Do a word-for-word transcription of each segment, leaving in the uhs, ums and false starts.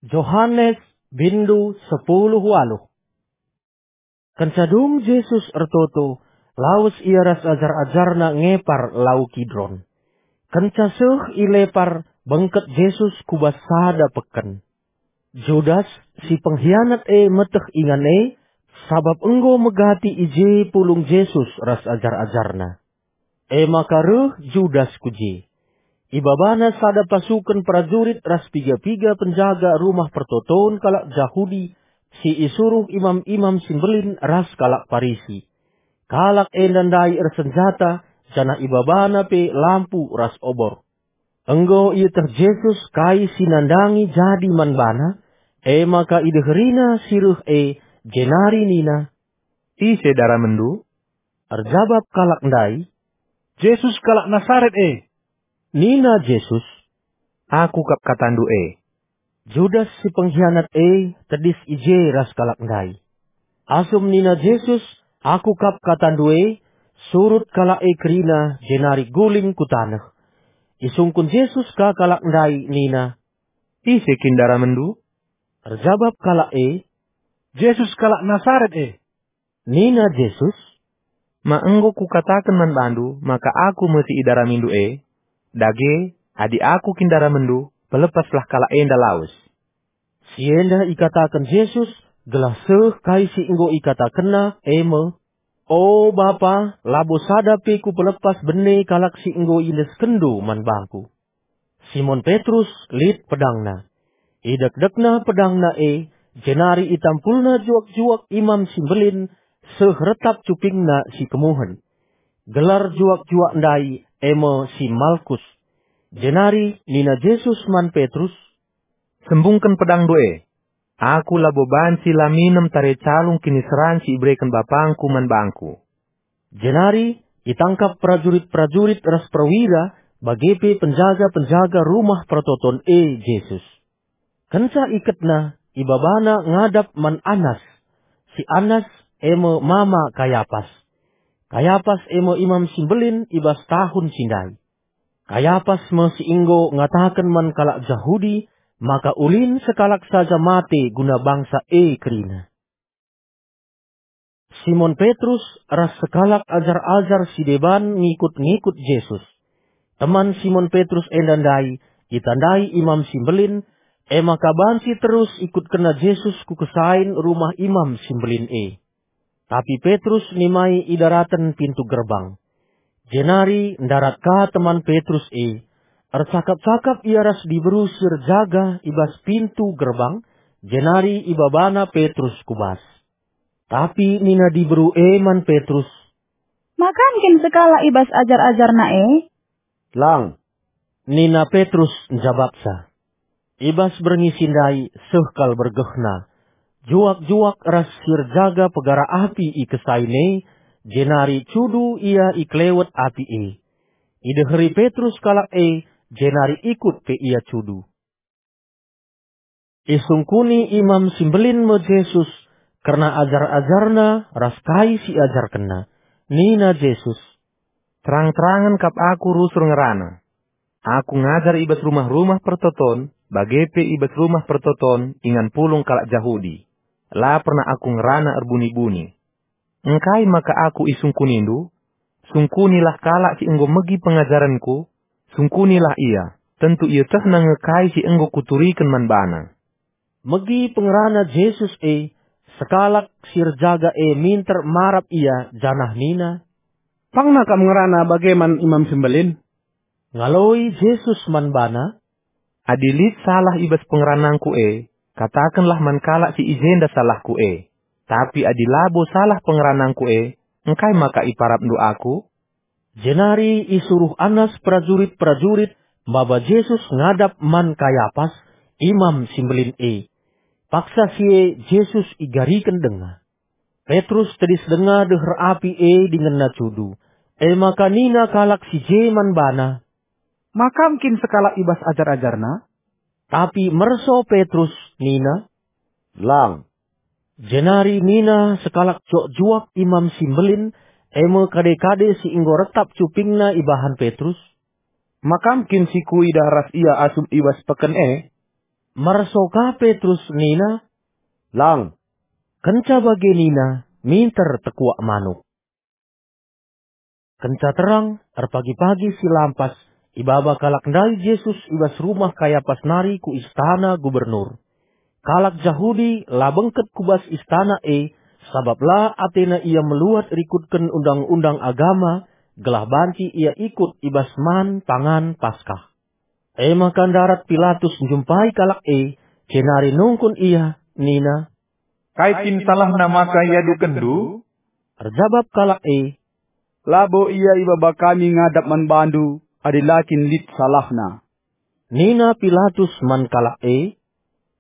Johanes, bindu sepuluh waluh. Kenca dung Jesus ertoto, lawes ia ras ajar-ajarNa ngepar Lau Kidron. Kenca seh i lepar, bengket Jesus ku bas sada peken. Judas, si penghianat e, meteh ingan e, sabap enggo megati i je pulung Jesus ras ajar-ajarNa. E maka reh Judas ku je. Ibabana sada pasuken perajurit ras piga-piga penjaga Rumah Pertoton kalak Jahudi si isuruh imam-imam si mbelin ras kalak Parisi. Kalak enda ndai ersenjata, janah ibabana pe lampu ras obor. Enggo ieteh Jesus kai si nandangi jadi man bana, e maka ideherina si reh e, jenari nina, "Ise daramenndu?" Erjabap kalak ndai, "Jesus kalak Nasaret e." Nina Jesus, "Aku kap katandu e." Judas si penghianat e tedis i je ras kalak ndai. Asum nina Jesus, "Aku kap katandu e," surut kalak e kerina jenari guling ku taneh. Isungkun Jesus ka kalak ndai nina, "Ise kin daramenndu?" Erjabap kalak e, "Jesus kalak Nasaret e." Nina Jesus, "Ma enggo kukataken man bandu maka Aku me si idaramindu e? Dage, adi Aku kin daramenndu, pelepaslah kalak enda lawes." Si enda ikataken Jesus gelah seh kai si enggo ikatakenNa, e me, "O Bapa, labo sada pe Kupelepas bene kalak si enggo iendeskenNdu man Bangku." Simon Petrus lit pedangna. Idekdekna pedangna e, jenari itampulna juak-juak imam si mbelin seh retap cupingna si kemuhen. Gelar juak-juak ndai e me si Malkus. Jenari nina Jesus man Petrus, "Sembungken pedangndu e. Aku labo banci la minem tare calung kiniseran si ibereken BapangKu man bangKu." Jenari itangkap perajurit-perajurit ras perwira, bage pe penjaga-penjaga Rumah Pertoton e Jesus. Kenca iketna, ibabana ngadap man Anas. Si Anas e me mama Kayapas. Kayapas e me imam si mbelin i bas tahun si ndai. Kayapas me si enggo ngataken man kalak Jahudi maka ulin sekalak saja mate guna bangsa e kerina. Simon Petrus ras sekalak ajar-ajar si deban ngikut-ngikut Jesus. Teman Simon Petrus enda ndai itandai imam si mbelin, e maka banci terus ikutkenna Jesus ku kesain rumah imam si mbelin e. Tapi Petrus nimai i daraten pintu gerbang. Jenari ndarat ka teman Petrus e. Ercakap-cakap ia ras diberu si erjaga i bas pintu gerbang, jenari ibabana Petrus ku bas. Tapi nina diberu e man Petrus, "Ma kam kin sekalak i bas ajar-ajarNa e?" "Lang," nina Petrus njabapsa. I bas berngi si ndai seh kal bergehna. Juak-juak ras si erjaga pegara api i kesain e, jenari cudu ia i kelewet api e. Ideheri Petrus kalak e, jenari ikut pe ia cudu. Isungkuni imam si mbelin me Jesus kerna ajar-ajarNa ras kai si iajarkenNa. Nina Jesus, "Terang-terangen kap Aku rusur ngerana. Aku ngajar i bas rumah-rumah pertoton, bage pe i bas rumah pertoton ingan pulung kalak Jahudi. La pernah Aku ngerana erbuni-buni. Engkai maka Aku isungkunindu? Sungkunilah kalak si enggo megi pengajarenKu, sungkunilah ia, tentu ietehna nge kai si enggo Kuturiken man bana." Megi pengerana Jesus e, sekalak si erjaga e minter marap ia janah nina, "Pangna kam ngerana bage man imam si mbelin?" Ngaloi Jesus man bana, "Adi lit salah i bas pengeranangKu e, katakenlah man kalak si i jenda salahKu e. Tapi adi labo salah pengeranangKu e, engkai maka iparapndu Aku?" Jenari isuruh Anas perajurit-perajurit maba Jesus ngadap man Kayapas, imam si mbelin e. Paksa si e Jesus igariken denga. Petrus tedis denga deher api e dingenna cudu. E maka nina kalak si je man bana, "Ma kam kin sekalak i bas ajar-ajarNa?" Tapi merso Petrus nina, "Lang." Jenari nina sekalak juak-juak imam si mbelin, e me kade-kade si enggo retap cupingna ibahan Petrus, "Ma kam kin si kuidah ras ia asum i bas peken e?" Merso ka Petrus nina, "Lang." Kenca bage nina, minter tekuak manuk. Kenca terang, erpagi-pagi si lampas, ibaba kalak ndai Jesus i bas rumah Kayapas nari ku istana gubernur. Kalak Jahudi la bengket ku bas istana e, sabap la atena ia meluat rikutken undang-undang agama, gelah banci ia ikut i bas man pangan Paskah. E maka ndarat Pilatus njumpai kalak e, jenari nungkun ia, nina, "Kai kin salahna maka iadukenndu?" Erjabap kalak e, "Labo ia ibaba kami ngadap man bandu adi la kin lit salahna." Nina Pilatus man kalak e,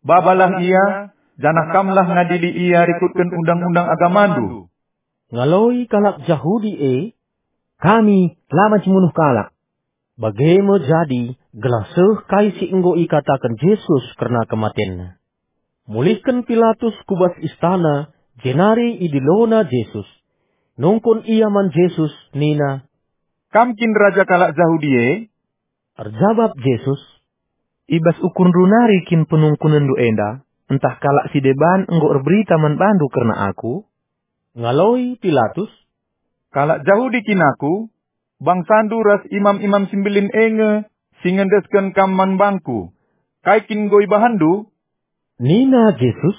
"Babalah ia, janah kamlah ngadili ia rikutken undang-undang agamandu." Ngaloi kalak Jahudi e, "Kami la banci munuh kalak." Bage me jadi gelah seh kai si enggo ikataken Jesus kerna kematenNa. Mulihken Pilatus ku bas istana, jenari idilona Jesus. Nungkun ia man Jesus nina, "Kam kin raja kalak Jahudi e?" Erjabap Jesus, "I bas ukurndu nari kin penungkunenndu enda, ntah kalak si deban enggo erberita man bandu kerna Aku?" Ngaloi Pilatus, "Kalak Jahudi kin aku? Bangsandu ras imam-imam si mbelin e nge si ngendesken kam man bangku. Kai kin enggo ibahanndu?" Nina Jesus,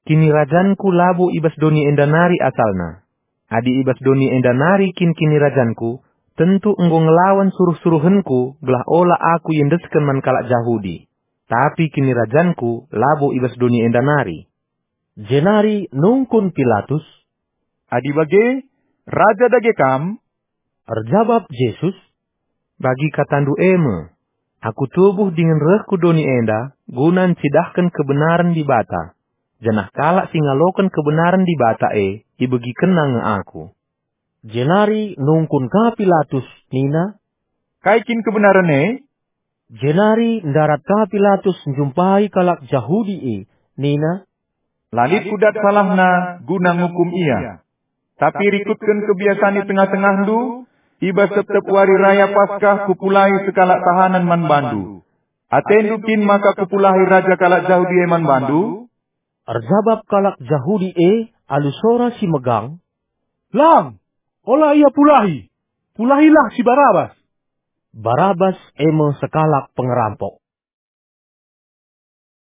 "KinirajanKu labo i bas doni enda nari asalna. Adi i bas doni enda nari kin kinirajanKu, tentu enggo ngelawan suruh-suruhenKu gelah ola Aku iendesken man kalak Jahudi. Tapi kinirajanKu labo i bas doni enda nari." Jenari nungkun Pilatus, "Adi bage, raja dage kam?" Erjabap Jesus, "Bagi katandu e me, Aku tubuh dingen reh ku doni enda guna ncidahken kebenaren Dibata, janah kalak si ngaloken kebenaren Dibata e ibegikenna nge Aku." Jenari nungkun ka Pilatus nina, "Kai kin kebenaren e?" Jenari ndarat ka Pilatus njumpai kalak Jahudi e, nina, "La lit kudat salahna guna ngukum ia. Tapi rikutken kebiasan i tengah-tengahndu, i bas tep-tep wari raya Paskah kupulahi sekalak tahanen man bandu. Atendu kin maka kupulahi raja kalak Jahudi e man bandu?" Erjabap kalak Jahudi e alu sora si megang, "Lang, ola ia pulahi! Pulahilah si Barabas!" Barabas e me sekalak pengerampok.